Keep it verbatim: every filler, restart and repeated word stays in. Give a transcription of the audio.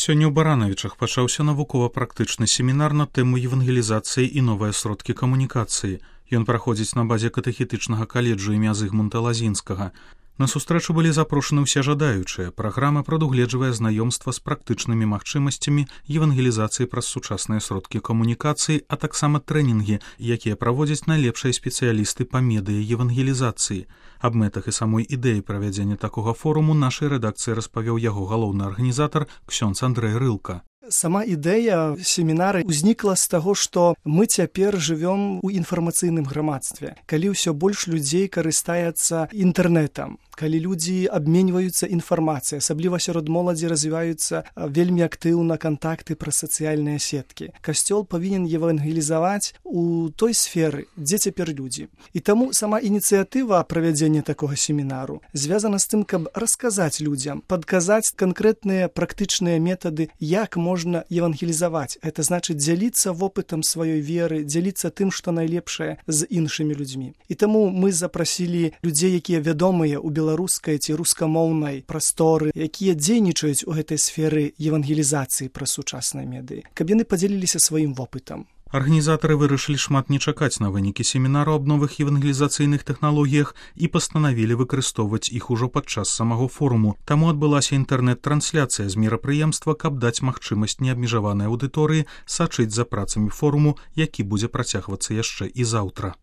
Сёння ў Баранавічах пачаўся навукова-практычны семінар на тэму евангелізацыі і новыя сродкі камунікацыі. Ён праходзіць на базе катэхетычнага каледжу імя Зыгмунта Лазінскага. На сустрэчу былі запрошаны ўсе жадаючыя. Праграма прадугледжвае знаёмства з практычнымі магчымасцямі евангелізацыі праз сучасныя сродкі камунікацыі, а таксама трэнінгі, якія праводзяць найлепшыя спецыялісты па медыа евангелізацыі. Аб мэтах і самой ідэі правядзення такога форуму нашай рэдакцыі распавёў яго галоўны арганізатар ксёндз Андрэй Рылка. Сама ідэя семінара ўзнікла з таго, што мы цяпер жывём у інфармацыйным грамадстве, калі ўсё больш людзей карыстаецца інтэрнэтам, калі людзі абменьваюцца інфармацыяй, асабліва сярод моладзі развіваюцца вельмі актыўна кантакты праз сацыяльныя сеткі. Касцёл павінен евангелізаваць у той сферы, дзе цяпер людзі. І таму сама ініцыятыва правядзення такога семінару звязана з тым, каб расказаць людзям, падказаць канкрэтныя практычныя метады, як можна можна евангелізаваць. Это значыць дзяліцца вопытам сваёй веры, дзяліцца тым, што найлепшае з іншымі людзьмі. І таму мы запрасілі людзей, якія вядомыя ў беларускай ці рускамоўнай прасторы, якія дзейнічаюць у гэтай сферы евангелізацыі праз сучасныя медыі, каб яны падзяліліся сваім вопытам. Арганізатары вырашылі шмат не чакаць на вынікі семінару аб новых евангелізацыйных тэхналогіях і пастанавілі выкарыстоўваць іх ужо падчас самого форуму. Таму адбылася інтэрнэт-трансляцыя з мерапрыемства, каб даць магчымасць неабмежаванай аўдыторыі сачыць за працамі форуму, які будзе працягвацца яшчэ і заўтра.